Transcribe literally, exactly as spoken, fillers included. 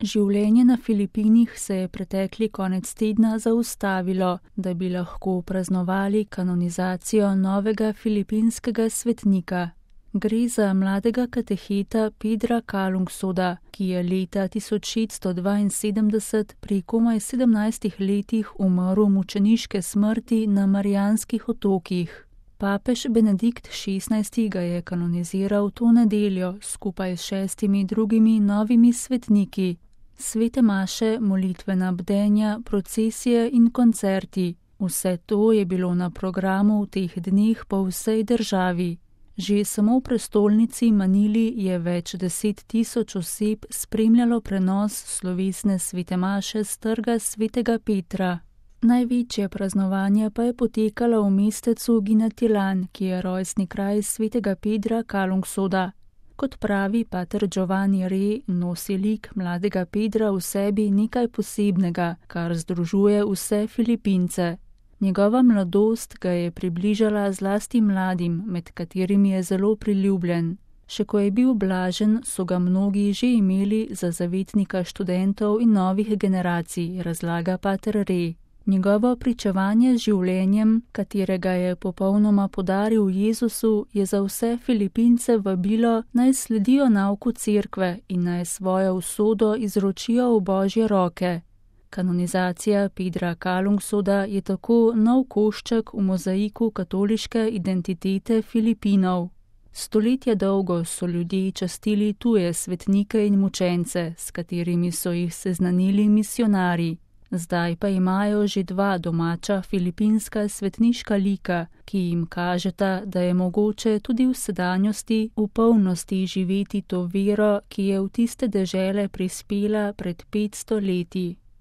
Življenje na Filipinih se je pretekli konec tedna zaustavilo, da bi lahko praznovali kanonizacijo novega filipinskega svetnika. Gre za mladega kateheta Pedra Calungshoda, ki je leta tisoč šeststo dvainsedemdeset pri komaj sedemnajstih letih umrl mučeniške smrti na Marijanskih otokih. Papež Benedikt šestnajsti ga je kanoniziral to nedeljo skupaj s šestimi drugimi novimi svetniki. Svete maše, molitvena bdenja, procesije in koncerti. Vse to je bilo na programu v teh dneh po vsej državi. Že samo v prestolnici Manili je več deset tisoč oseb spremljalo prenos slovesne svete maše s trga svetega Petra. Največje praznovanje pa je potekalo v mestecu Ginatilan, ki je rojstni kraj svetega Pedra Calungshoda. Kot pravi pater Giovanni Re, nosi lik mladega Pedra v sebi nekaj posebnega, kar združuje vse Filipince. Njegova mladost ga je približala zlasti mladim, med katerimi je zelo priljubljen. Še ko je bil blažen, so ga mnogi že imeli za zavetnika študentov in novih generacij, razlaga pater Re. Njegovo pričevanje z življenjem, katerega je popolnoma podaril Jezusu, je za vse Filipince vabilo, naj sledijo nauku cerkve in naj svojo usodo izročijo v Božje roke. Kanonizacija Pedra Calungshoda je tako nov košček v mozaiku katoliške identitete Filipinov. Stoletja dolgo so ljudje častili tuje svetnike in mučence, s katerimi so jih seznanili misionarji. Zdaj pa imajo že dva domača filipinska svetniška lika, ki jim kažeta, da je mogoče tudi v sedanjosti v polnosti živeti to vero, ki je v tiste dežele prispela pred petsto leti.